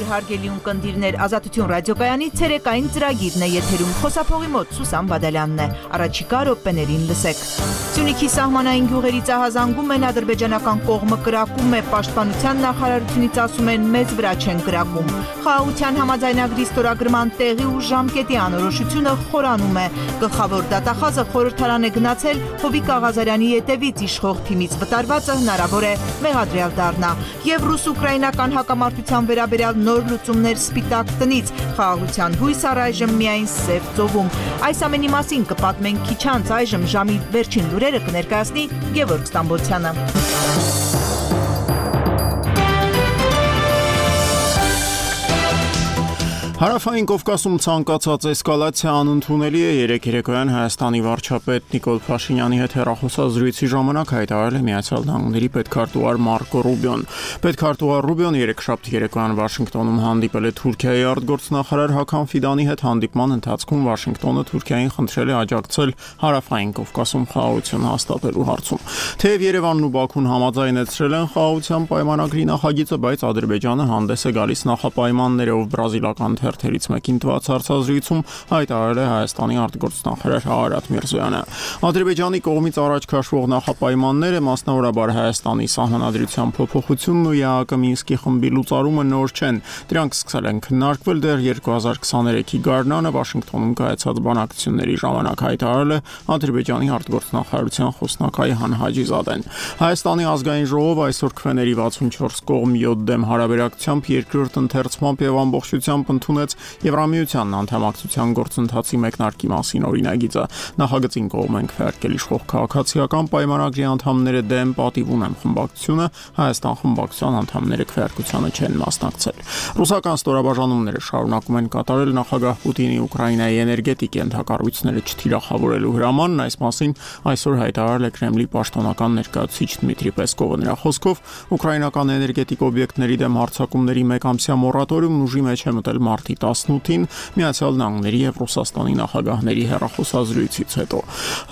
հարգելի ունկնդիրներ, Ազատություն ռադիոկայանի ցերեկային ծրագիրն է եթերում, խոսափողի մոտ Սուսան Բադալյանն է, առաջիկա րոպեներին լսեք։ Սյունիքի սահմանային գյուղերից ահազանգում են, ադրբեջանական կողմը կրակում է, պաշտպանության նախարարությունից ասում են մեզ վրա չեն կրակում։ Խաղաղության համաձայնագրի ստորագրման տեղի ու ժամկետի անորոշությունը խորանում է։ Գլխավոր դատախազը խորհրդարան է գնացել Հովիկ Աղազարյանի ետևից իշխող թիմից վտարվածը հնարավոր է մեղադրյալ դառնա։ Եվ ռուս-ուկրաինական հակամարտության վերաբերյալ նոր լուծումներ Սպիտակ տնից, խաղաղության հույս առայժմ միայն Սև ծովում։ Այս ամենի մասին կպատմենք քիչ անց, այժմ ժամի վերջին լուրերը կներկայացնի Գևորգ Ստամբոլցյանը։ Հարավային Կովկասում ցանկացած էսկալացիա անընդունելի է, երեկ երեկոյան Հայաստանի վարչապետ Նիկոլ Փաշինյանի հետ հեռախոսազրույցի ժամանակ հայտարարել է Միացյալ Նահանգների պետքարտուղար Մարկո Ռուբիոն։ Պետքարտուղար Ռուբիոն երեքշաբթի երեկոյան Վաշինգտոնում հանդիպել է Թուրքիայի արտգործնախարար Հական Ֆիդանի հետ, հանդիպման ընթացքում Վաշինգտոնը Թուրքիային խնդրել է աջակցել Հարավային Կովկասում խաղաղություն հաստատելու հարցում։ Թեև Երևանն ու Բաքուն համաձայնեցրել են խաղաղության պայմանագրի նախագիծը, բայց Ադրբեջանը հանդես է գալիս նախապայմաններով բրազիլական թերթերից մեկին տված հարցազրույցում հայտարարել է Հայաստանի արտգործնախարար Արարատ Միրզոյանը։ Ադրբեջանի կողմից առաջ քաշվող նախապայմանները, մասնավորաբար Հայաստանի սահմանադրության փոփոխությունն ու ԵԱՀԿ Մինսկի խմբի լուծարումը նոր չեն։ Դրանք սկսել են քննարկվել դեռ 2023-ի գարնանը Վաշինգտոնում կայացած բանակցությունների ժամանակ, հայտարարել է Ադրբեջանի արտգործնախարարության խոսնակայ Հան Հաջիզադեն։ Հայաստանի ազգային ժողովը այսօր քվեների 64 կողմ 7 դեմ հարաբերակցությամբ երկրորդ ընթերցմամբ եւ ամբողջությամբ ընդունեց Եվրամիությանն անդամակցության գործընթացի մեկնարկի մասին օրինագիծը։ Նախագծին կողմ են քվեարկել իշխող քաղաքացիական պայմանագրի անդամները դեմ, պատիվ ունեն խմբակցությունը, Հայաստան խմբակցության անդամները քվեարկությանը չեն մասնակցել։ Ռուսական ստորաբաժանումները շարունակում են կատարել նախագահ Պուտինի Ուկրաինայի էներգետիկ ենթակառույցները չթիրախավորելու հրամանն, այս մասին այսօր հայտարարել է Կրեմլի պաշտոնական ներկայացուցիչ Դմիտրի Պեսկովը։ Նրա խոսքով ուկրաինական էներգետիկ օբյեկտների դեմ հարձակումների մեկամսյա մորատորիումն ուժի մեջ է մտել մարտի 18-ին Միացյալ Նահանգների եւ Ռուսաստանի նախագահների հեռախոսազրույցից հետո։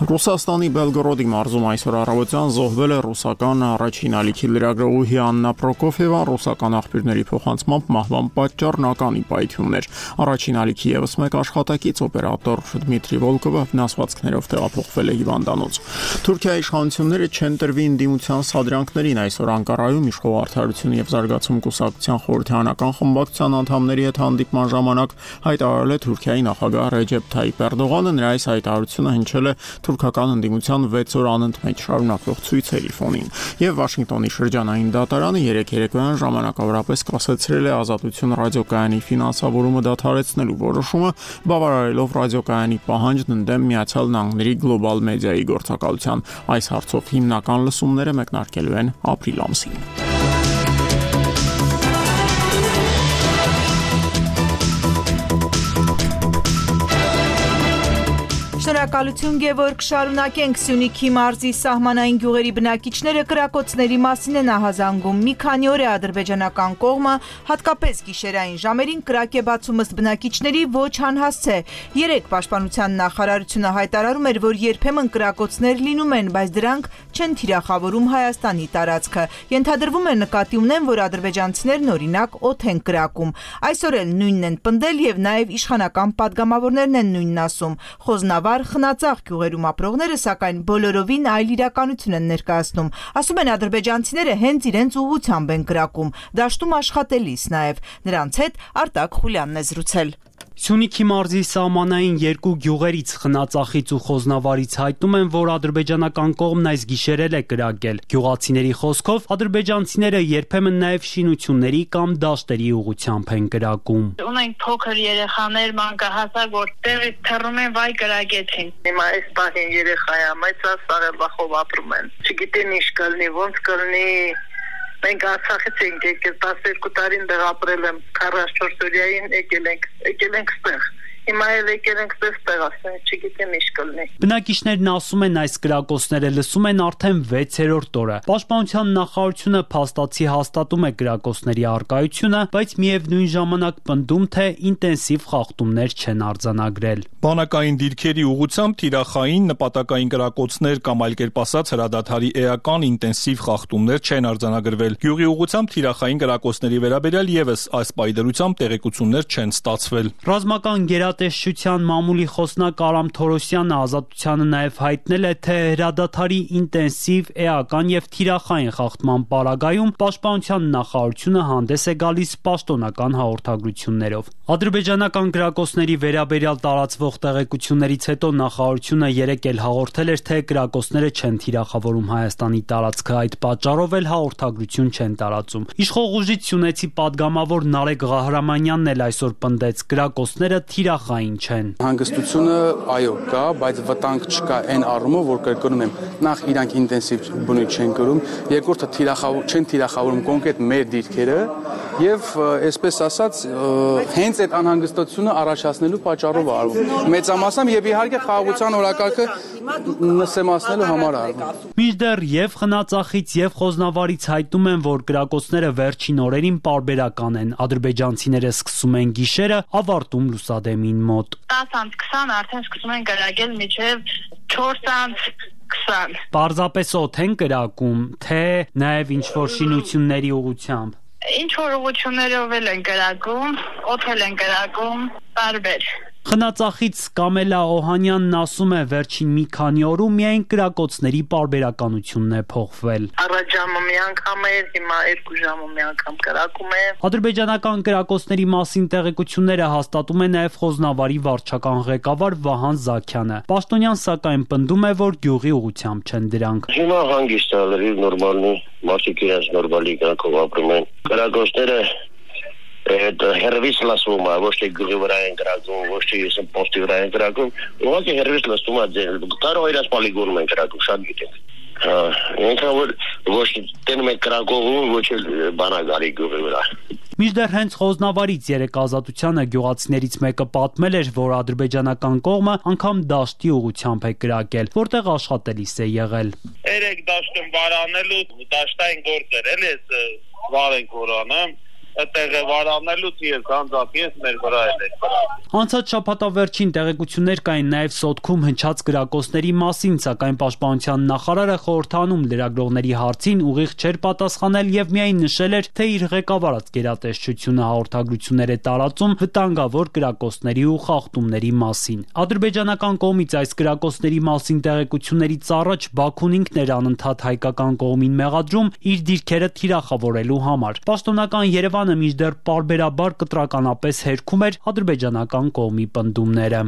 Ռուսաստանի Բելգորոդի մարզում այսօր առավոտյան զոհվել է ռուսական առաջին ալիքի լրագրողուհի Աննա Պրոկոֆիևան, ռուսական աղբյուրների փոխանցմամբ մահվան պատճառն ականի պայթյուններ։ Առաջին ալիքի եւս մեկ աշխատակից օպերատոր Դմիտրի Վոլկովը վնասվածքներով տեղափոխվել է հիվանդանոց։ Թուրքիայի իշխանությունները չեն տրվի ընդդիմության սադրանքներին, այսօր Անկարայում իշխող Արդարություն եւ զարգացում կուսակցության խորհրդարանական խմբակցության անդամների հետ հանդիպման ժամանակ հայտարարել է Թուրքիայի նախագահ Ռեջեփ Թայիփ Էրդողանը։ Նրա այս հայտարարությունը հնչել է թուրքական ընդդիմության 6 օր անընդմեջ շարունակվող ցույցերի ֆոնին։ Եվ Վաշինգտոնի շրջանային դատարանը երեկ երեկոյան ժամանակավորապես կասեցրել է Ազատություն ռադիոկայանի ֆինանսավորումը դադարեցնելու որոշումը, բավարարելով ռադիոկայանի պահանջն ընդդեմ Միացյալ Նահանգների գլոբալ մեդիայի գործակալության։ Այս հարցով հիմնական լսումները մեկնարկելու են ապրիլ ամսին։ Շնորհակալություն Գևորգ, շարունակենք Սյունիքի մարզի սահմանային գյուղերի բնակիչները կրակոցների մասին են ահազանգում։ Մի քանի օր է ադրբեջանական կողմը հատկապես գիշերային ժամերին կրակ է բացում, ըստ բնակիչների ոչ անհասցե։ Երեկ պաշտպանության նախարարությունը հայտարարում էր, որ երբեմն կրակոցներ լինում են, բայց դրանք չեն թիրախավորում Հայաստանի տարածքը։ Ենթադրվում է նկատի ունեն, որ ադրբեջանցիներն օրինակ օդ են կրակում։ Այսօր էլ նույնն են պնդել եւ նաեւ իշխանական падգամավորներն են նույնն ասում։ Խոզնավար խնածաղ գյուղերում ապրողները սակայն բոլորովին այլ իրականություն են ներկայացնում։ Ասում են ադրբեջանցիները հենց իրենց ուղղությամբ են կրակում, դաշտում աշխատելիս նաև։ Նրանց հետ Արտակ Խուլյանն է զրուցել։ Սյունիքի մարզի սահմանային երկու գյուղերից խնածախից ու խոզնավարից հայտնում են, որ ադրբեջանական կողմն այս գիշերել է կրակել։ Գյուղացիների խոսքով ադրբեջանցիները երբեմն նաև շինությունների կամ դաշտերի ուղղությամբ են կրակում։ Ունենք փոքր երեխաներ, մանկահասակ, որ տեղից թռնում են, վայ կրակեցին։ Հիմա այս պահին երեխա է, բայց սարելվախով ապրում են։ Չգիտեն ինչ կլինի, ոնց կլինի։ Մենք Արցախից ենք եկել, 12 տարին դեռ ապրել եմ, 44 օրյային եկել ենք ստեղ։ Հիմա էլ եկել ենք ստեղ, ասեն, չգիտեմ ինչ կլինի։ Բնակիչներն ասում են, այս կրակոցները լսում են արդեն 6-րդ օրը։ Պաշտպանության նախարարությունը փաստացի հաստատում է կրակոցների առկայությունը, բայց միևնույն ժամանակ պնդում, թե ինտենսիվ խախտումներ չեն արձանագրել։ Բանակային դիրքերի ուղղությամբ թիրախային նպատակային կրակոցներ կամ այլ կերպ ասած հրադադարի էական ինտենսիվ խախտումներ չեն արձանագրվել։ Գյուղի ուղղությամբ թիրախային կրակոցների վերաբերյալ եւս այս պայդրությամբ տեղեկություններ չեն ստացվել։ Ռազմական գերատեսչության մամուլի խոսնակ Արամ Թորոսյանը Ազատությանը նաև հայտնել է, թե հրադադարի ինտենսիվ, էական եւ թիրախային խախտման պարագայում պաշտպանության նախարարությունը հանդես է գալիս պաշտոնական հաղորդագրություններով։ Ադրբեջանական կրակոցների վերաբերյալ տարածվող տեղեկություններից հետո նախարարությունը երեկ էլ հաղորդել էր, թե կրակոցները չեն թիրախավորում Հայաստանի տարածքը, այդ պատճառով էլ հաղորդագրություն չեն տարածում։ Իշխող ուժից Սյունեցի падգամավոր Նարեկ Ղահրամանյանն էլ այսօր պնդեց, կրակոցները թիրախային չեն։ Հանգստությունը այո կա, բայց վտանգ չկա այն առումով, որ կրկնում եմ, նախ իրանք ինտենսիվ բնույթ չեն կրում, երկրորդը չեն թիրախավորում կոնկրետ մեր դիրքերը եւ այսպես ասած հենց այդ անհանգստությունը առաջացնելու պատճառով արվում։ Մեծամասամբ եւ իհարկե խաղաղության օրակարգը նսեմացնելու համար արվում։ Մինչդեռ եւ Խնածախից եւ Խոզնավարից հայտնում են, որ կրակոցները վերջին օրերին պարբերական են։ Ադրբեջանցիները սկսում են գիշերը, ավարտում լուսադեմին մոտ։ 10:20 արդեն սկսում են կրակել մինչև 4:20։ Պարզապես օդ են կրակում, թե նաեւ ինչ-որ շինությունների ուղղությամբ։ Ինչ որ ուղղություններով են կրակում, օդել են կրակում, տարբեր։ Խնածախից Կամելա Օհանյանն ասում է, վերջին մի քանի օրում միայն կրակոցների պարբերականությունն է փոխվել։ Առաջ ժամը մի անգամ էր, հիմա 2 ժամը մի անգամ կրակում է։ Ադրբեջանական կրակոցների մասին տեղեկությունները հաստատում է նաև Խոզնավարի վարչական ղեկավար Վահան Զաքյանը։ Պաշտոնյան սակայն պնդում է, որ գյուղի ուղղությամբ չեն դրանք։ Հիմա հանգիստ է, լրիվ նորմալնի, մարդիկ իրենց նորմալի կյանքով ապրում են։ Կրակոցները հերվիս լսվում է, ոչ թե գյուղի վրա են կրակում, ոչ թե սպորտի վրա են կրակում, ուղղակի հերվիս լսվում է, կարող իրաց պոլիգոնում են կրակում, շատ գիտենք։ Ինքան որ ոչ տենում են կրակողում, ոչ էլ բանագարի գյուղի վրա։ Մինչդեռ հենց Խոզնավարից երեկ Ազատությանը գյուղացիներից մեկը պատմել էր, որ ադրբեջանական կողմը անգամ դաշտի ուղղությամբ է կրակել, որտեղ աշխատելիս է եղել։ Երեք դաշտում վարանելու, դաշտային գործեր էլ էս վարենք որանը, այդտեղ վարանելուց ես անձամբ մեր վրա էլ Անցած շաբաթավերջին տեղեկություններ կային նաև Սոտքում հնչած կրակոցների մասին, սակայն պաշտպանության նախարարը խորհրդանում լրագրողների հարցին ուղիղ չէր պատասխանել եւ միայն նշել էր, թե իր ղեկավարած գերատեսչությունը հաղորդագրություններ է տարածում վտանգավոր կրակոցների ու խախտումների մասին։ Ադրբեջանական կողմից այս կրակոցների մասին տեղեկություններից առաջ Բաքուն ինքն էր անընդհատ հայկական կողմին մեղադրում իր դիրքերը թիրախավորելու համար։ Պաշտոնական Երևանը մինչդեռ պարբերաբար կտրականապես հերքում էր ադրբեջանական կողմի պնդումները։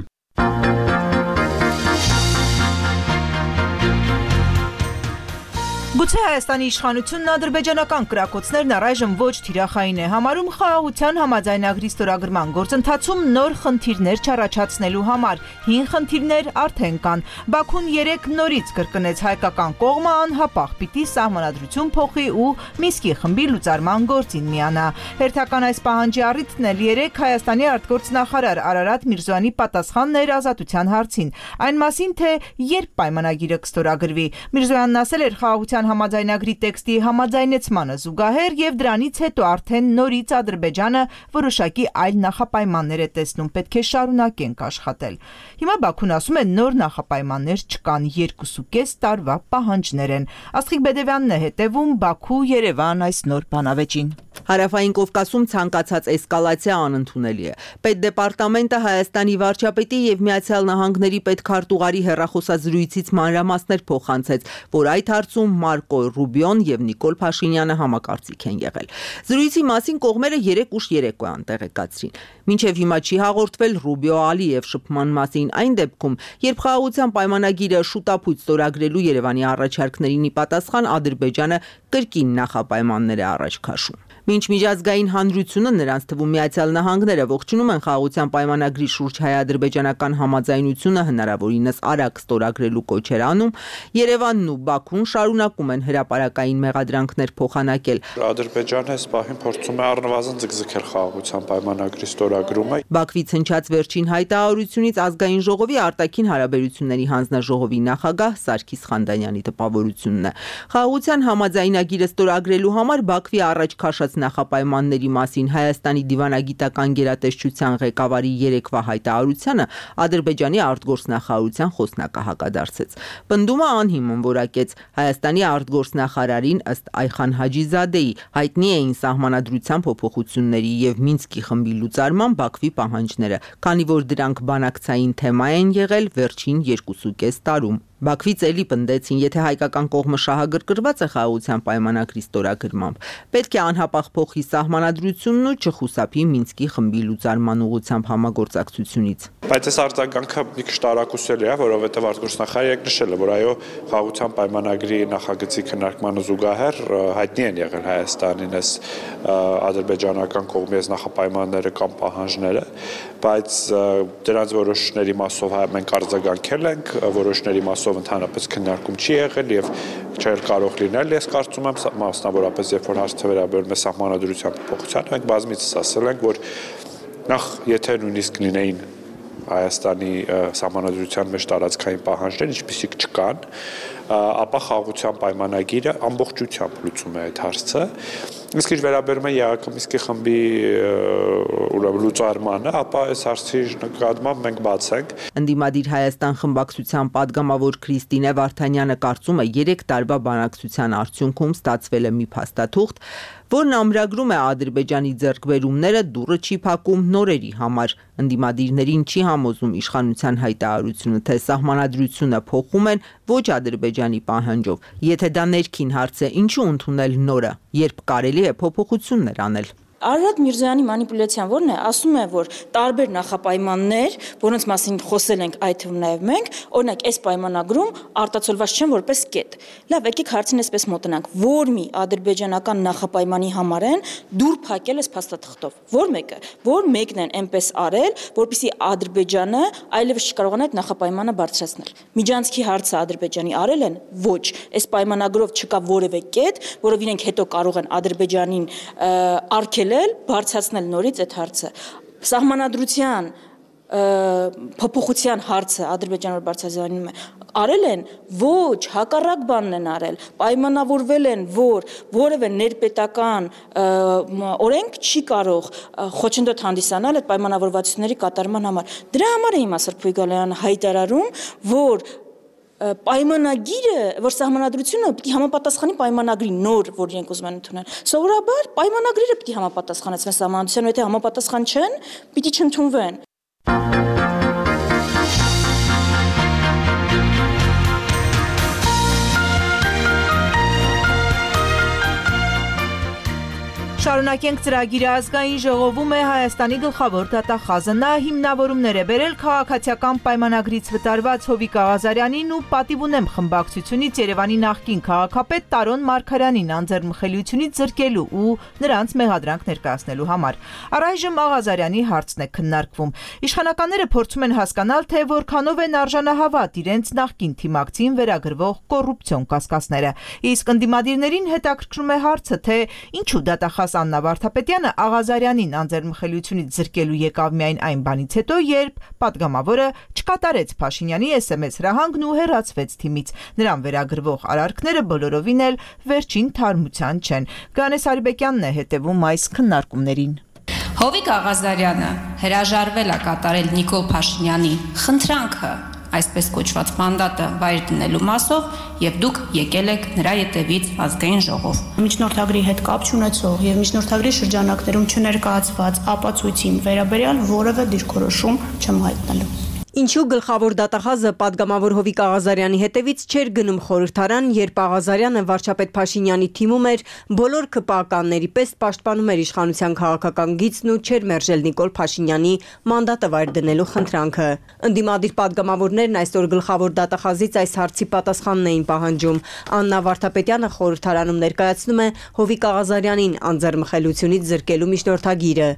Գուցե Հայաստանի իշխանությունն ադրբեջանական կրակոցներն առայժմ ոչ թիրախային է համարում խաղաղության համաձայնագրի ստորագրման գործընթացում նոր խնդիրներ չառաջացնելու համար։ Հին խնդիրներ արդեն կան։ Բաքուն երեկ նորից կրկնեց հայկական կողմը անհապաղ պիտի սահմանադրություն փոխի ու Մինսկի խմբի լուծարման գործին միանա։ Հերթական այս պահանջի առիթն էլ երեկ Հայաստանի արտգործնախարար Արարատ Միրզոյանի պատասխանն էր Ազատության հարցին։ Այն մասին, թե երբ պայմանագիրը կստորագրվի։ Միրզոյանն ասել էր խաղաղության համաձայնագրի տեքստի համաձայնեցմանը զուգահեռ եւ դրանից հետո արդեն նորից Ադրբեջանը որոշակի այլ նախապայմաններ է տեսնում, պետք է շարունակենք աշխատել։ Հիմա Բաքուն ասում է նոր նախապայմաններ չկան, 2.5 տարվա պահանջներ են։ Աստղիկ Բեդևյանն է հետևում Բաքու-Երևան այս նոր բանավեճին։ Հարավային Կովկասում ցանկացած էսկալացիա անընդունելի է։ Պետդեպարտամենտը Հայաստանի վարչապետի եւ Միացյալ Նահանգների պետքարտուղարի հեռախոսազրույցից մանրամասներ փոխանցեց, որ այդ հարցում Մարկո Ռուբիոն եւ Նիկոլ Փաշինյանը համակարծիք են եղել։ Զրույցի մասին կողմերը 3 ուշ երեկոյան տեղեկացրին։ Մինչև հիմա չի հաղորդվել Ռուբիո-Ալիև շփման մասին այն դեպքում, երբ խաղաղության պայմանագիրը շուտապույտ ստորագրելու Երևանի առաջարկներին ի պատասխան Ադրբեջանը կրկին նախապայմաններ է առաջ քաշում։ Մինչ միջազգային հանրությունը, նրանց թվում Միացյալ Նահանգները, ողջունում են խաղաղության պայմանագրի շուրջ հայ-ադրբեջանական համաձայնությունը հնարավորինս արագ ստորագրելու կոչեր անում, Երևանն ու Բաքուն շարունակում շարունակում են հրապարակային մեղադրանքներ փոխանակել։ Ադրբեջանը այս պահին փորձում է առնվազն ձգձգել խաղաղության պայմանագրի ստորագրումը։ Բաքվից հնչած վերջին հայտարարությունից ազգային ժողովի արտաքին հարաբերությունների հանձնաժողովի նախագահ Սարգիս Խանդանյանի տպավորությունն է։ Խաղաղության համաձայնագիրը ստորագրելու համար Բաքվի առաջ քաշած նախապայմանների մասին Հայաստանի դիվանագիտական գերատեսչության ղեկավարի երեկվա հայտարարությանը Ադրբեջանի արտգործնախարարության խոսնակը հակադարձեց։ Պնդումը անհիմն որակեց Հայաստանի արտգործնախարարին ըստ Այխան Հաջիզադեի հայտնի էին սահմանադրության փոփոխությունների եւ Մինսկի խմբի լուծարման Բաքվի պահանջները, քանի որ դրանք բանակցային թեմա են եղել վերջին 2.5 տարում։ Բաքվից էլի պնդեցին, եթե հայկական կողմը շահագրգռված է խաղաղության պայմանագրի ստորագրմամբ, պետք է անհապաղ փոխի սահմանադրությունն ու չխուսափի Մինսկի խմբի լուծարման ուղղությամբ համագործակցությունից։ Բայց այս արձագանքը մի քիչ տարակուսելի է, որովհետև արտգործնախարարը նշել է, որ այո, խաղաղության պայմանագրի նախագծի քննարկմանը զուգահեռ հայտնի են եղել Հայաստանին այս ադրբեջանական կողմի այս նախապայմանները կամ պահանջները, բայց դրանց որոշների մասով մենք արձագանքել ենք, որոշների մասով ընդհանրապես քննարկում չի եղել եւ չէր կարող լինել, ես կարծում եմ, մասնավորապես երբ որ հարցը վերաբերում է սահմանադրության փոփոխությանը, մենք բազմիցս ասել ենք, որ նախ եթե նույնիսկ լինեին Հայաստանի սահմանադրության մեջ տարածքային պահանջներ, ինչպիսիք չկան, ապա խաղաղության պայմանագիրը ամբողջությամբ լուծում է այդ հարցը։ Իսկ ինչ վերաբերում է ԵԱՀԿ Մինսկի խմբի լուծարմանը, ապա այս հարցի նկատմամբ մենք բաց ենք։ Ընդդիմադիր Հայաստան խմբակցության падգամավոր Քրիստինե Վարդանյանը կարծում է 3 տարվա բանակցության արդյունքում ստացվել է մի փաստաթուղթ, որն ամրագրում է Ադրբեջանի ձեռքբերումները դուռը չի փակում նորերի համար։ Ընդդիմադիրներին չի համոզում իշխանության հայտարարությունը, թե սահմանադրությունը փոխում են ոչ Ադրբեջանի պահանջով։ Եթե դա ներքին հարց է, ինչու ընդունել նորը, երբ կարելի է փոփոխություններ անել։ Արարատ Միրզոյանի մանիպուլյացիան որն է, ասում է, որ տարբեր նախապայմաններ, որոնց մասին խոսել ենք այդ թվում նաև մենք, օրինակ այս պայմանագրում արտացոլված չեն որպես կետ։ Լավ, եկեք հարցին այսպես մոտենանք, որ մի ադրբեջանական նախապայմանի համար են դուր փակել այս փաստաթղթով։ Որ մեկը, որ մեկն են այնպես արել, որպեսզի Ադրբեջանը այլևս չկարողանա այդ նախապայմանը բարձրացնել։ Միջանցքի հարցը Ադրբեջանի արել են, ոչ, այս պայմանագրով չկա որևէ կետ, որով իրենք հետո կարող են Ադրբեջանին արգելել բարձրացնել նորից այդ հարցը։ Սահմանադրության փոփոխության հարցը Ադրբեջանը բարձրացնում է, արել են, ոչ, հակառակ բանն են արել, պայմանավորվել են, որ որևէ ներպետական օրենք չի կարող խոչընդոտ հանդիսանալ այդ պայմանավորվածությունների կատարման համար։ Դրա համար է հիմա Սրփոյ Գալայանը հայտարարում, որ պայմանագիրը, որ սահմանադրությունը պիտի համապատասխանի պայմանագրի նոր, որ իրենք ուզում են ընդունել։ Սովորաբար պայմանագրերը պիտի համապատասխանեցնեն սահմանադրությանը, եթե համապատասխան չեն, պիտի չընդունվեն։ Շարունակենք ծրագիրը ազգային ժողովում է Հայաստանի գլխավոր դատախազը։ Նա հիմնավորումներ է բերել քաղաքացիական պայմանագրից վտարված Հովիկ Աղազարյանին ու պատիվ ունեմ խմբակցությունից Երևանի նախկին քաղաքապետ Տարոն Մարգարյանին անձեռնմխելիությունից զրկելու ու նրանց մեղադրանք ներկայացնելու համար։ Առայժմ Աղազարյանի հարցն է քննարկվում։ Իշխանականները փորձում են հասկանալ, թե որքանով են արժանահավատ իրենց նախկին թիմակցին վերագրվող կոռուպցիոն կասկածները։ Իսկ ընդդիմադիրներին հետաքրքրում է հարցը, թե ինչու դատախազ Աննա Վարդապետյանը Աղազարյանին անձեռնմխելիությունից զրկելու եկավ միայն այն բանից հետո, երբ падգամավորը չկատարեց Փաշինյանի SMS հրահանգն ու հեռացվեց թիմից։ Նրան վերագրվող արարքները բոլորովին էլ վերջին թարմության չեն։ Գանես Արիբեկյանն է հետևում այս քննարկումներին։ Հովիկ Աղազարյանը հրաժարվել է կատարել Նիկոլ Փաշինյանի խնդրանքը, այսպես կոչված մանդատը վայր դնելու մասով, եւ դուք եկել եք նրա ետևից ազգային ժողով։ Միջնորդագրի հետ կապ չունեցող եւ միջնորդագրի շրջանակներում չներկայացված ապացույցի վերաբերյալ որևէ դիրքորոշում չեմ հայտնելու։ Ինչու գլխավոր դատախազը падգամավոր Հովիկ Աղազարյանի հետևից չէր գնում խորհրդարան, երբ Աղազարյանը վարչապետ Փաշինյանի թիմում էր, բոլոր ԿՊԱ-կանների պես պաշտպանում էր իշխանության քաղաքական գիծն ու չէր մերժել Նիկոլ Փաշինյանի մանդատը վայր դնելու խնդրանքը։ Ընդդիմադիր падգամավորներն այսօր գլխավոր դատախազից այս հարցի պատասխանն էին պահանջում։ Աննա Վարդապետյանը խորհրդարանում ներկայացնում է Հովիկ Աղազարյանին անձեռնմխելիությունից զրկելու միջնորդագիրը։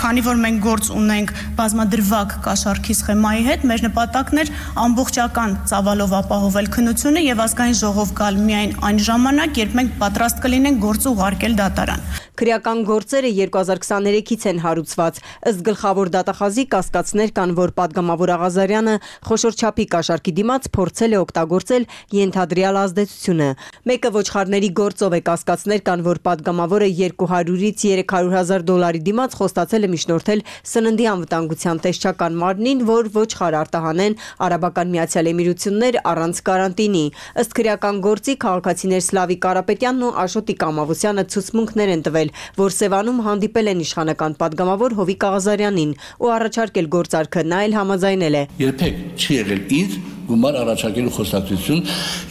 Քանի որ մենք գործ ունենք բազմադրվակ կաշառքի սխեմայի հետ, հետ մեր նպատակն էր ամբողջական ծավալով ապահովել քննությունը եւ ազգային ժողով գալ միայն այն ժամանակ, երբ մենք պատրաստ կլինենք գործ ուղարկել դատարան։ Քրեական գործերը 2023-ից են հարուցված։ Ըստ գլխավոր դատախազի կասկածներ կան, որ падգամավոր Աղազարյանը խոշոր չափի կաշառքի դիմաց փորձել է օգտագործել ենթադրյալ ազդեցությունը։ Մեկը ոչխարների գործով է, կասկածներ կան, որ падգամավորը $200-ից $300,000 դիմաց խոստացել է միջնորդել սննդի անվտանգության տեսչական մարմնին, որ ոչխար արտահանեն Արաբական Միացյալ Էմիրություններ առանց կարանտինի։ Ըստ քրեական գործի քաղաքացիներ Սլավիկ Կարապետյանն ու Աշոտիկ Ամավոսյանը ցուցմունքներ են տվել, որ Սևանում հանդիպել են իշխանական падգամավոր Հովիկ Աղազարյանին ու առաջարկել գործարքը, նա էլ համաձայնել է։ Երբեք չի եղել ինձ գումար առաջարկելու խոսակցություն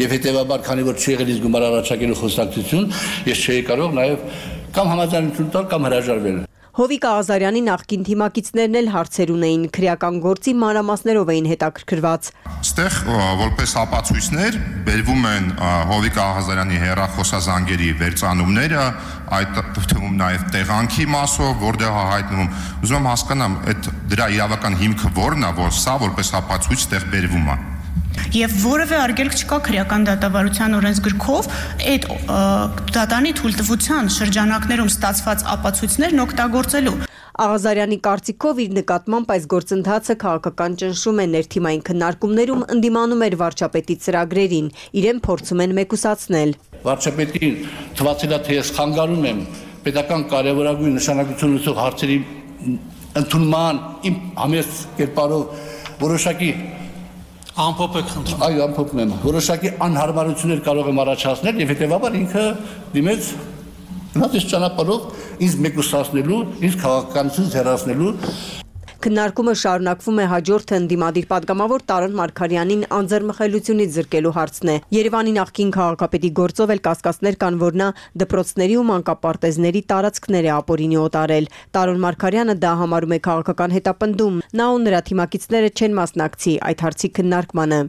եւ հետեւաբար քանի որ չի եղել ինձ գումար առաջարկելու խոսակցություն, ես չէի կարող նաեւ կամ համաձայնություն տալ կամ հրաժարվել։ Հովիկ Աղազարյանի նախկին թիմակիցներն էլ հարցեր ունեին, քրեական գործի մանրամասներով էին հետաքրքրված։ Այստեղ որպես ապացույցներ բերվում են Հովիկ Աղազարյանի հեռախոսազանգերի վերծանումները, այդ թվում նաև տեղանքի մասով, որտեղ հայտնվում։ Ուզում եմ հասկանամ, այդ դրա իրավական հիմքը որն է, որ սա որպես ապացույց տեղ բերվում է։ Եվ որևէ արգելք չկա քրեական դատավարության օրենսգրքով այդ դատանի թույլտվության շրջանակներում ստացված ապացույցներն օգտագործելու։ Աղազարյանի կարծիքով իր նկատմամբ այս գործընթացը քաղաքական ճնշում է, ներթիմային քննարկումներում ընդդիմանում էր վարչապետի ծրագրերին, իրեն փորձում են մեկուսացնել։ Վարչապետին թվացել է, թե ես խանգարում եմ պետական կարևորագույն նշանակություն ունեցող հարցերի ընդունման իմ համեստ կերպարով որոշակի Ամփոփ եք խնդրում։ Այո, ամփոփում եմ։ Որոշակի անհարմարություններ կարող եմ առաջացնել եւ հետեւաբար ինքը դիմեց նույնիսկ ճանապարհով ինձ մեկուսացնելու, ինձ քաղաքականությունից հեռացնելու։ Քննարկումը շարունակվում է, հաջորդը ընդդիմադիր падգամավոր Տարոն Մարգարյանին անձեռմխելությունից զրկելու հարցն է։ Երևանի նախկին քաղաքապետի գործով էլ կասկածներ կան, որ նա դպրոցների ու մանկապարտեզների տարածքներ է ապօրինի օտարել։ Տարոն Մարգարյանը դա համարում է քաղաքական հետապնդում։ Նա ու նրա թիմակիցները չեն մասնակցի այդ հարցի քննարկմանը։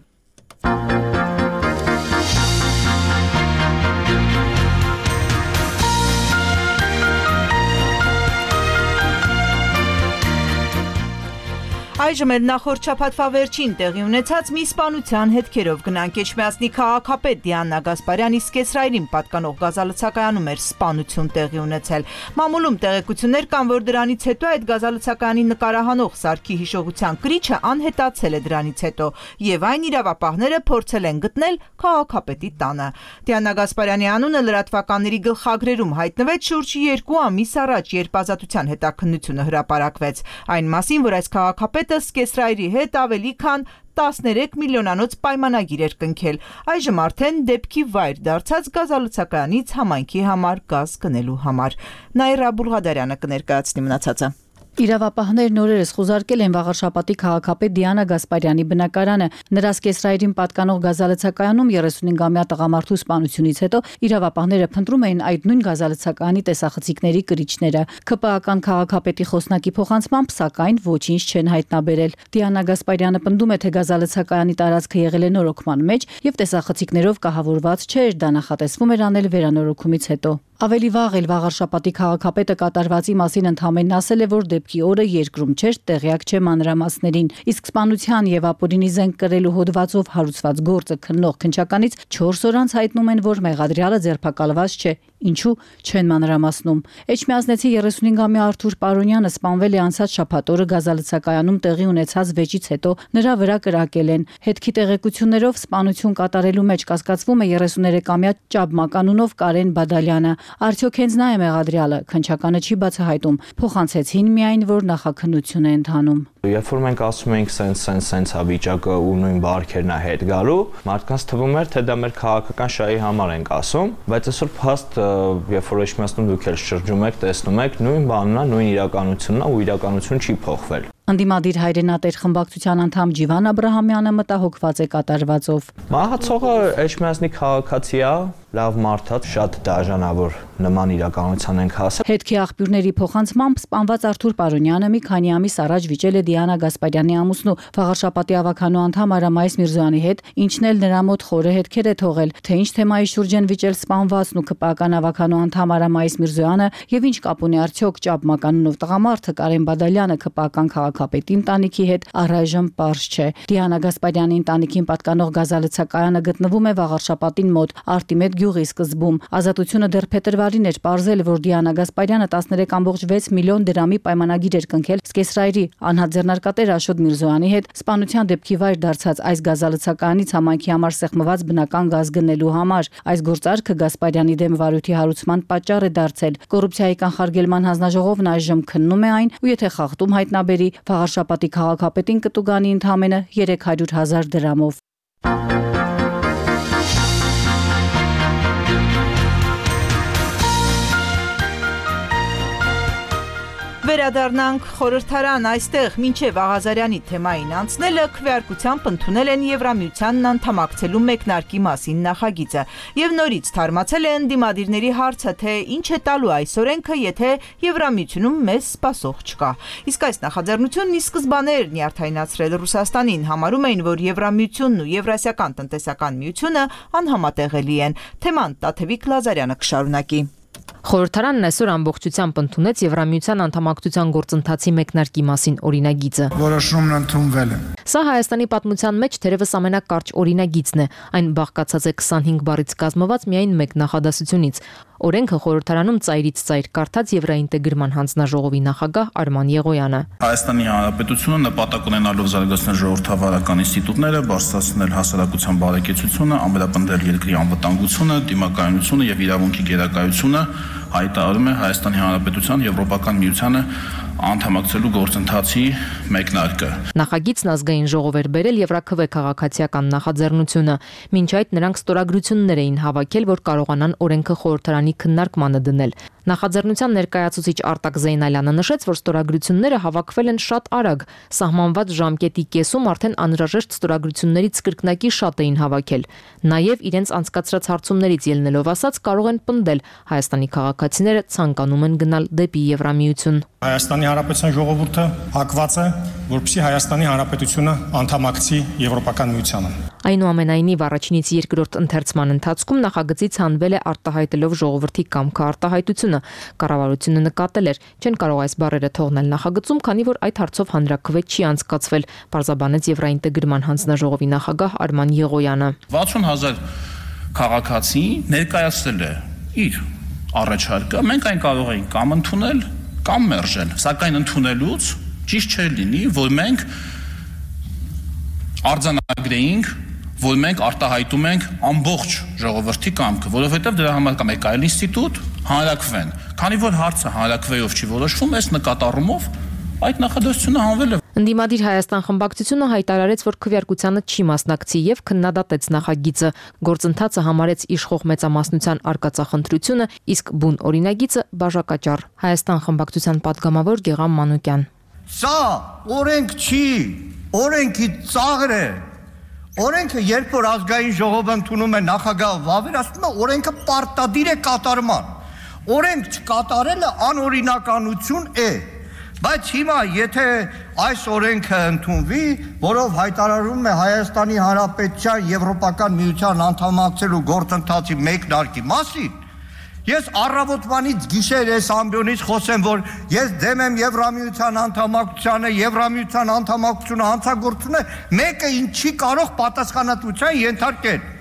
Այժմ էլ նախորդ շաբաթվա վերջին տեղի ունեցած մի սպանության հետքերով գնանք։ Էջմիածնի քաղաքապետ Դիանա Գասպարյանի Սկեսրայրին պատկանող գազալցակայանում էր սպանություն տեղի ունեցել։ Մամուլում տեղեկություններ կան, որ դրանից հետո այդ գազալցակայանի նկարահանող սարքի հիշողության կրիչը անհետացել է դրանից հետո, եւ այն իրավապահները փորձել են գտնել քաղաքապետի տանը։ Դիանա Գասպարյանի անունը լրատվականների գլխագրերում հայտնվեց շուրջ 2 ամիս առաջ, երբ ազատության հետաքննությունը հրապարակվեց։ Այն մասին, որ այս քաղաքապետը Սկեսրայրի հետ ավելի քան 13 միլիոնանոց պայմանագիր էր կնքել։ Այժմ արդեն դեպքի վայր դարձած գազալցակայանից համայնքի համար գազ գնելու համար։ Նաիրա Բուլղադարյանը կներկայացնի մնացածը։ Իրավապահներն օրերս խուզարկել են Վաղարշապատի քաղաքապետ Դիանա Գասպարյանի բնակարանը։ Նրա Սկեսրայրին պատկանող գազալցակայանում 35-ամյա տղամարդու սպանությունից հետո իրավապահները փնտրում էին այդ նույն գազալցակայանի տեսախցիկների կրիչները։ ՔՊԱ-ական քաղաքապետի խոսնակի փոխանցմամբ, սակայն ոչինչ չեն հայտնաբերել։ Դիանա Գասպարյանը պնդում է, թե գազալցակայանի տարածքը եղել է նորոգման մեջ եւ տեսախցիկներով կահավորված չէր, դա նախատեսվում էր անել վերանորոգումից հետո։ Ավելի վաղ էլ Վաղարշապատի քաղաքապետը կատարվածի մասին ընդհանրապես ասել է, որ դեպքի օրը երկրում չէր, տեղյակ չէ մանրամասներին, իսկ սպանության եւ ապօրինի զենք կրելու հոդվածով հարուցված գործը քննող քննչականից 4 օր անց հայտնում են, որ մեղադրյալը ձերբակալված չէ, ինչու չեն մանրամասնում։ Էջմիածնեցի 35-ամյա Արթուր Պարոնյանը սպանվել է անցած շաբաթ օրը գազալցակայանում տեղի ունեցած վեճից հետո, նրա վրա կրակել են։ Հետքի տեղեկություններով սպանություն կատարելու մեջ կասկածվում է 33-ամյա Ճաբմականունով Կարեն Բադալյանը։ Արդյոք հենց նա է մեղադրյալը, քննչականը չի բացահայտում։ Փոխանցեցին միայն, որ նախաքննություն է ընթանում։ Երբ որ մենք ասում ենք սենց է վիճակը ու նույն բարքերն է հետ գալու, մարդկանց թվում էր, թե դա մեր քաղաքական շահի համար ենք ասում, բայց այսօր փաստ, երբ որ Էջմիածնում դուք էլ շրջում եք, տեսնում եք, նույն բանն է, նույն իրականությունն է ու իրականությունը չի փոխվել։ Ընդդիմադիր հայրենատեր խմբակցության անդամ Ջիվան Աբրահամյանը մտահոգված է կատարվածով։ Մահացողը Էջմիածնի քաղաքացի է, լավ մարդած շատ դաժանավոր նման իրականության ենք հասել։ Հետքի աղբյուրների փոխանցմամբ սպանված Արթուր Պարոնյանը մի քանի ամիս առաջ վիճել է Դիանա Գասպարյանի ամուսնու Վաղարշապատի ավականու անդամ Արամայիս Միրզոյանի հետ, ինչն էլ նրա մոտ խորը հետքեր է թողել, թե ինչ թեմայի շուրջ են վիճել սպանվածն ու ԿՊԱ-ական ավականու անդամ Արամայիս Միրզոյանը եւ ինչ կապ ունի արդյոք Ճապ մականունով տղամարդը Կարեն Բադալյանը ԿՊԱ-ական քաղաքապետի ընտանիքի հետ առայժմ պարզ չէ։ Դիանա Գասպարյանի ընտանիքին պատկանող գազալցակայանը գտնվում է Վաղարշապատին մոտ Արտիմետ գյուղի սկզբում։ Ազատությունը դեռ փետրվարին էր պարզել, որ Դիանա Գասպարյանը 13.6 միլիոն դրամի պայմանագիր էր կնքել Սկեսրայրի անհատ ձեռնարկատեր Աշոտ Միրզոյանի հետ սպանության դեպքի վայր դարձած այս գազալցականից համայնքի համար սեղմված բնական գազ գնելու համար։ Այս գործարքը Գասպարյանի դեմ վարույթի հարուցման պատճառ է դարձել։ Կոռուպցիայի կանխարգելման հանձնաժողովն այժմ քննում է այն ու եթե խախտում հայտնաբերի, Վաղարշապատի քաղաքապետին կտուգանի ընդամենը 300,000 դրամով։ Վերադառնանք խորհրդարան, այստեղ մինչև Աղազարյանի թեմային անցնելը քվեարկությամբ ընդունել են Եվրամիությանն անդամակցելու մեկնարկի մասին նախագիծը եւ նորից թարմացել է ընդդիմադիրների հարցը, թե ինչ է տալու այս օրենքը, եթե Եվրամիությունում մեզ սպասող չկա։ Իսկ այս նախաձեռնությունն ի սկզբանե էր նյարդայնացրել Ռուսաստանին, համարում էին, որ Եվրամիությունն ու Եվրասիական տնտեսական միությունը անհամատեղելի են։ Թեման Տաթևիկ Լազարյանը կշարունակի։ Խորհրդարանն այսօր ամբողջությամբ ընդունեց Եվրամիության անդամակցության գործընթացի մեկնարկի մասին օրինագիծը։ Որոշումն ընդունվել է։ Սա Հայաստանի պատմության մեջ թերևս ամենակարճ օրինագիծն է։ Այն բաղկացած է 25 բառից կազմված միայն մեկ նախադասությունից։ Օրենքը խորհրդարանում ծայրից ծայր կարդաց Եվրաինտեգրման հանձնաժողովի նախագահ Արման Եղոյանը։ Հայաստանի Հանրապետությունը նպատակ ունենալով զարգացնել ժողովրդավարական ինստիտուտները, բարձրացնել հասարակության բարեկեցությունը, ամրապնդել երկրի անվտանգությունը, դիմակայունությունը եւ իրավունքի գերակայությունը, հայտարարում է Հայաստանի Հանրապետության Եվրոպական միությանը անդամակցելու գործընթացի մեկնարկը։ Նախագիծն ազգային ժողով էր բերել Եվրաքվե քաղաքացիական նախաձեռնությունը։ Մինչ այդ նրանք ստորագրություններ էին հավաքել, որ կարողանան օրենքը խորհրդարանի քննարկմանը դնել։ Նախաձեռնության ներկայացուցիչ Արտակ Զեյնալյանը նշեց, որ ստորագրությունները հավաքվել են շատ արագ, սահմանված ժամկետի կեսում արդեն անհրաժեշտ ստորագրություններից կրկնակի շատ էին հավաքել։ Նաև իրենց անցկացրած հարցումներից ելնելով ասած կարող են պնդել Հայաստանի քաղաքացիները ցանկանում են գնալ դեպի Եվրամիություն։ Հայաստանի Հանրապետության ժողովուրդը հակված է, որպեսզի Հայաստանի Հանրապետությունը անդամակցի Եվրոպական միությանը։ Այնուամենայնիվ առաջինից երկրորդ ընթերցման ընթացքում նախագծից հանվել է արտահայտելով ժողովրդի կամքը արտահայտությունը։ Կառավարությունը նկատել էր, չեն կարող այս բառերը թողնել նախագծում, քանի որ այդ հարցով հանրաքվե չի անցկացվել, պարզաբանեց Եվրաինտեգրման հանձնաժողովի նախագահ Արման Եղոյանը։ 60,000 քաղաքացի ներկայացրել է իր առաջարկը, մենք այն կարող ենք կամ ընդունել, կամ մերժել, սակայն ընդունելուց ճիշտ չէր լինի, որ մենք արձանագրեինք, որ մենք արտահայտում ենք ամբողջ ժողովրդի կամքը, որովհետև դրա համար կա մեկ այլ ինստիտուտ, հանրաքվեն։ Քանի որ հարցը հանրաքվեով չի որոշվում, այս նկատառումով այդ նախադասությունը հանվել է։ Ընդդիմադիր Հայաստան խմբակցությունը հայտարարեց, որ քվեարկությանը չի մասնակցի եւ քննադատեց նախագիծը։ Գործընթացը համարեց իշխող մեծամասնության արկածախնդրությունը, իսկ բուն օրինագիծը բաժակաճառ։ Հայաստան խմբակցության պատգամավոր Գեգամ Մանուկյան։ Սա օրենք չի, օրենքի ծաղր է։ Օրենքը երբ որ ազգային ժողովը ընդունում է նախագահը վավերացնում է, օրենքը պարտադիր է կատարման։ Օրենք չկատարելը անօրինականություն է։ Բայց հիմա եթե այս օրենքը ընդունվի, որով հայտարարում է Հայաստանի Հանրապետության Եվրոպական միության անդամակցելու գործընթացի մեկնարկի մասին, ես առավոտվանից գիշեր այս ամբիոնից խոսեմ, որ ես դեմ եմ Եվրամիության անդամակցությանը, Եվրամիության անդամակցությունը հանցագործությունը մեկը ինչի կարող պատասխանատվության ենթարկել։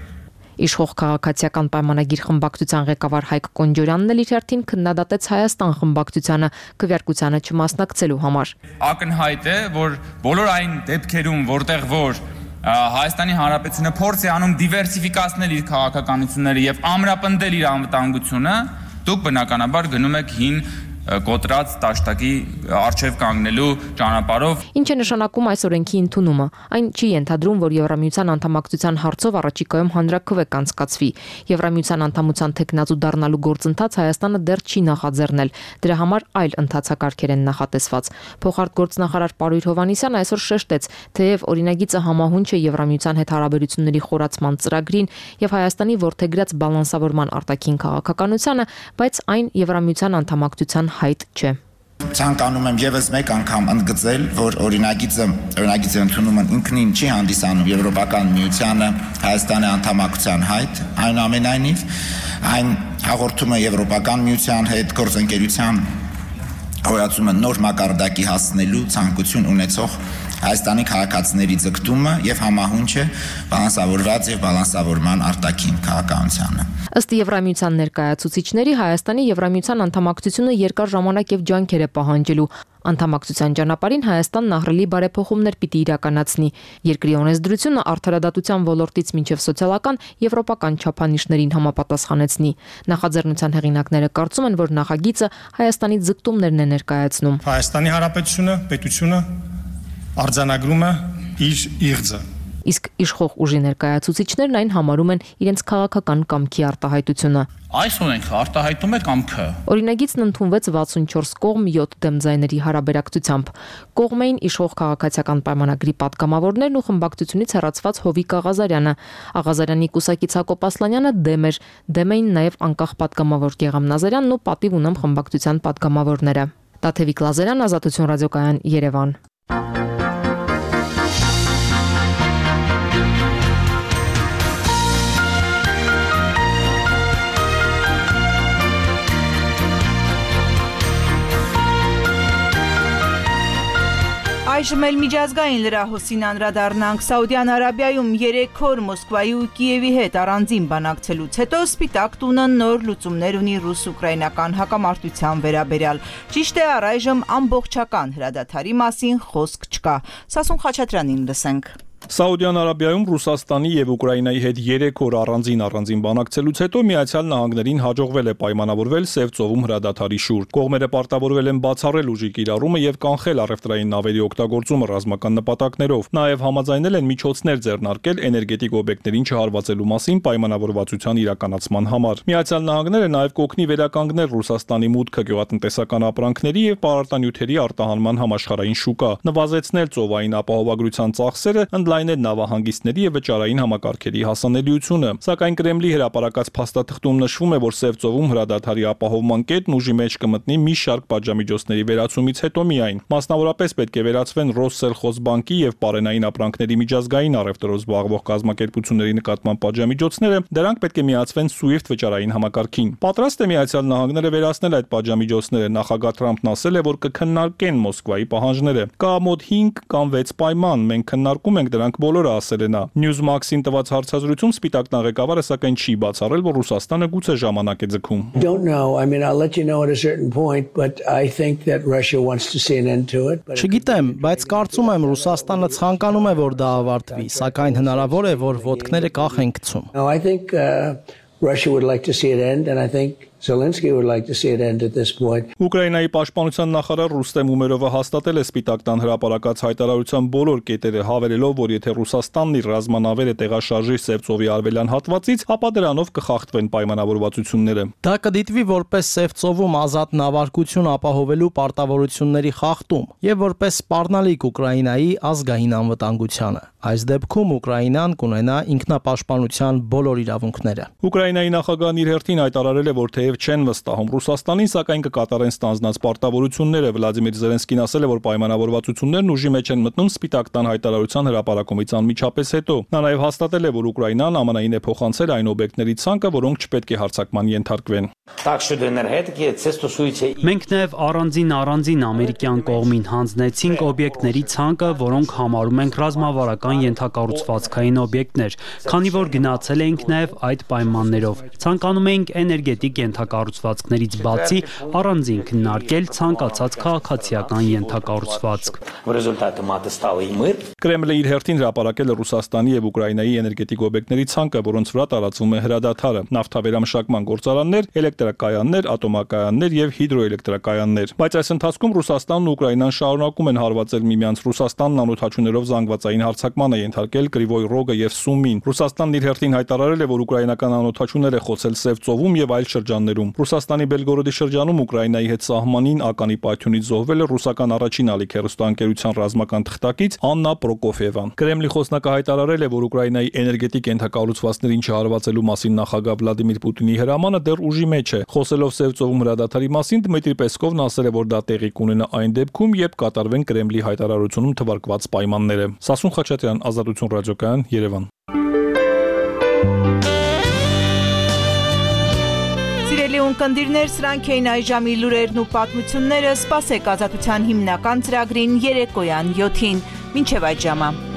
Իշխող քաղաքացիական պայմանագիր խմբակցության ղեկավար Հայկ Կոնջորյանն էլ իր հերթին քննադատեց Հայաստան խմբակցությանը քվեարկությանը չմասնակցելու համար։ Ակնհայտ է, որ բոլոր այն դեպքերում, որտեղ որ Հայաստանի Հանրապետությունը փորձ է անում դիվերսիֆիկացնել իր քաղաքականությունները եւ ամրապնդել իր անվտանգությունը, դուք բնականաբար գնում եք հին կոտրած տաշտակի արչև կանգնելու ճանապարհով։ Ինչ է նշանակում այս օրենքի ընդունումը։ Այն չի ենթադրում, որ Եվրամիության անդամակցության հարցով առաջիկայում հանրաքվե կանցկացվի։ Եվրամիության անդամության թեկնածու դառնալու գործընթաց Հայաստանը դեռ չի նախաձեռնել։ Դրա համար այլ ընթացակարգեր են նախատեսված։ Փոխարտգործնախարար Պարույր Հովհաննիսյանը այսօր շեշտեց, թեև օրինագիծը համահունչ է Եվրամիության հետ հարաբերությունների խորացման ծրագրին եւ Հայաստանի որդեգրած բալանսավորման արտաքին քաղաքականությանը, բայց այն Եվրամիության անդամակցության հայտ չէ։ Ցանկանում եմ եւս մեկ անգամ ընդգծել, որ օրինագիծի ընդունումն ինքնին չի հանդիսանում Եվրոպական միությանը Հայաստանի անդամակցության հայտ, այնուամենայնիվ այն հաղորդում է Եվրոպական միության հետ գործընկերության հոյացումը նոր մակարդակի հասնելու ցանկություն ունեցող Հայաստանի քաղաքացիների ձգտումը եւ համահունչ է բալանսավորված եւ բալանսավորման արտաքին քաղաքականությանը։ Ըստ Եվրամիության ներկայացուցիչների Հայաստանի Եվրամիության անդամակցությունը երկար ժամանակ եւ ջանքեր է պահանջելու։ Անդամակցության ճանապարհին Հայաստանն ահռելի բարեփոխումներ պիտի իրականացնի։ Երկրի օրենսդրությունը արդարադատության ոլորտից մինչև սոցիալական եվրոպական չափանիշներին համապատասխանեցնի։ Նախաձեռնության հեղինակները կարծում են, որ նախագիծը Հայաստանի ձգտումներն է ներկայացնում։ Հայաստանի Հանրապետությունը, պետությունը արձանագրում է իր իղձը։ Իսկ իշխող ուժի ներկայացուցիչներն այն համարում են իրենց քաղաքական կամքի արտահայտությունը։ Այս օրենքը արտահայտում է կամքը։ Օրինագիծն ընդունվեց 64 կողմ 7 դեմ ձայների հարաբերակցությամբ։ Կողմային իշխող քաղաքացիական պայմանագրի պատգամավորներն ու խմբակցությունից հեռացված Հովիկ Աղազարյանը, Աղազարյանի կուսակից Հակոբ Ասլանյանը դեմ էին նաև անկախ պատգամավոր Գեգամ Նազարյանն ու պատիվ ունեմ խմբակցության պատգամավորները։ Տաթևիկ Լազարյան, Ազատություն ռադիոկայան, Երևան։ Այժմ էլ միջազգային լրահոսին անդրադառնանք։ Սաուդյան Արաբիայում 3 օր Մոսկվայի ու Կիևի հետ առանձին բանակցելուց հետո Սպիտակ տունը նոր լուծումներ ունի ռուս-ուկրաինական հակամարտության վերաբերյալ։ Ճիշտ է, առայժմ ամբողջական հրադադարի մասին խոսք չկա։ Սասուն Խաչատրյանին լսենք։ Սաուդյան Արաբիայում Ռուսաստանի եւ Ուկրաինայի հետ 3 օր առանձին բանակցելուց հետո Միացյալ Նահանգներին հաջողվել է պայմանավորվել Սև ծովում հրադադարի շուրջ։ Կողմերը պարտավորվել են բացառել ուժի կիրառումը եւ կանխել առևտրային նավերի օգտագործումը ռազմական նպատակներով։ Նաեւ համաձայնել են միջոցներ ձեռնարկել էներգետիկ օբյեկտներին չհարվածելու մասին պայմանավորվածության իրականացման համար։ Միացյալ Նահանգները նաեւ կօգնի վերականգնել Ռուսաստանի մուտքը գյուղատնտեսական ապրանքների եւ պարարտանյութերի արտահանման համաշխարհային շուկա, նվազեցնել ծովային ապահովագրության ծախսերը, լայնել նավահանգիստների եւ վճարային համակարգերի հասանելիությունը, սակայն Կրեմլի հրապարակած փաստաթղթում նշվում է, որ Սև ծովում հրադադարի ապահովման կետն ուժի մեջ կմտնի մի շարք պատժամիջոցների վերացումից հետո միայն։ Մասնավորապես պետք է վերացվեն Ռոսսելխոզբանկի եւ Պարենային ապրանքների միջազգային առևտրով զբաղվող կազմակերպությունների նկատմամբ պատժամիջոցները, դրանք պետք է միացվեն SWIFT վճարային համակարգին։ Պատրաստ է Միացյալ Նահանգները վերացնել այդ պատժամիջոցները, նախագահ Թրամփն ասել է, որ կքննարկեն Մոսկվայի պահանջները։ Կա մոտ 5 կամ 6 պայման, մենք քննարկում ենք դրանք բոլորը, ասել է նա։ Newsmax-ին տված հարցազրույցում Սպիտակ ղեկավարը սակայն չի բացառել, որ Ռուսաստանը գուցե ժամանակ է ձգում։ Չգիտեմ, բայց կարծում եմ Ռուսաստանը ցանկանում է, որ դա ավարտվի, սակայն հնարավոր է, որ ոտքները կախ են գցում։ Russia would like to see it end, and I think Zelensky would like to see it end at this point. Ուկրաինայի պաշտպանության նախարար Ռուստեմ Ումերովը հաստատել է Սպիտակ տան հրապարակած հայտարարության բոլոր կետերը, հավելելով, որ եթե Ռուսաստանն իր ռազմանավերը տեղաշարժի Սև ծովի արևելյան հատվածից, ապա դրանով կխախտվեն պայմանավորվածությունները։ Դա կդիտվի որպես Սև ծովում ազատ նավարկություն ապահովելու պարտավորությունների խախտում եւ որպես սպառնալիք Ուկրաինայի ազգային անվտանգությանը։ Այս դեպքում Ուկրաինան կունենա ինքնապաշտպանության բոլոր իրավունքները։ Ուկրաինայի նախագահն իր հերթին հայտարարել է, որ թեև չեն վստահում Ռուսաստանին, սակայն կկատարեն ստանձնած պարտավորությունները։ Վլադիմիր Զելենսկին ասել է, որ պայմանավորվածություններն ուժի մեջ են մտնում Սպիտակ տան հայտարարության հրապարակումից անմիջապես հետո։ Նա նաև հաստատել է, որ Ուկրաինան ԱՄՆ-ին է փոխանցել այն օբյեկտների ցանկը, որոնք չպետք է հարձակման ենթարկվեն։ Մենք նաև առանձին ամերիկյան կողմին հանձնեցինք օբյեկտների ցանկը, որոնք համարում ենք ռազմավարական ենթակառուցվածքային օբյեկտներ, քանի որ գնացել էինք նաև այդ պայմաններով։ Ցանկանում էինք էներգետիկ ենթակառուցվածքներից բացի առանձին քննարկել ցանկացած քաղաքացիական ենթակառուցվածք։ Կրեմլը իր հերթին հրապարակել է Ռուսաստանի եւ Ուկրաինայի էներգետիկ օբյեկտների ցանկը, որոնց վրա տարածվում է հրադադարը՝ նավթավերամշակման գործարաններ, էլեկտրակայաններ, ատոմակայաններ եւ հիդրոէլեկտրակայաններ։ Բայց այս ընթացքում Ռուսաստանն ու Ուկրաինան շարունակում են հարվածել միմյանց։ Ռուսաստանն անօթաչուներով զանգվածային հարձակման է ենթարկել Կրիվոյ Ռոգը եւ Սումին։ Ռուսաստանն իր հերթին հայտարարել է, որ ուկրաինական անօթաչուներ է խոցել Սև ծովում եւ այլ շրջաններում։ Ռուսաստանի Բելգորոդի շրջանում Ուկրաինայի հետ սահմանին ականի պայթյունից զոհվել է ռուսական առաջին ալիք հեռուստաընկերության ռազմական թղթակից Աննա Պրոկոֆիևան։ Կրեմլի խոսնակը հայտարարել է, որ Ուկրաինայի էներգետիկ ենթակառուցվածքներին չհարվածելու մասին նախագահ Վլադիմիր Պուտինի հրամանը դեռ ուժի մեջ է։ Խոսելով Սև ծովում հրադադարի մասին Դմիտրի Պեսկովն ասել է, որ դա տեղի կունենա այն դեպքում, երբ կատարվեն Կրեմլի հայտարարությունում թվարկված պայմանները։ Սասուն Խաչատրյան, Ազատություն ռադիոկայան, Երևան։ Սիրելի ունկնդիրներ, սրանք էին այժմի լուրերն ու պատմությունները։ Սպասեք Ազատության հիմնական ծրագրին երեկոյան 7-ին։ Մինչև այդ ժամը։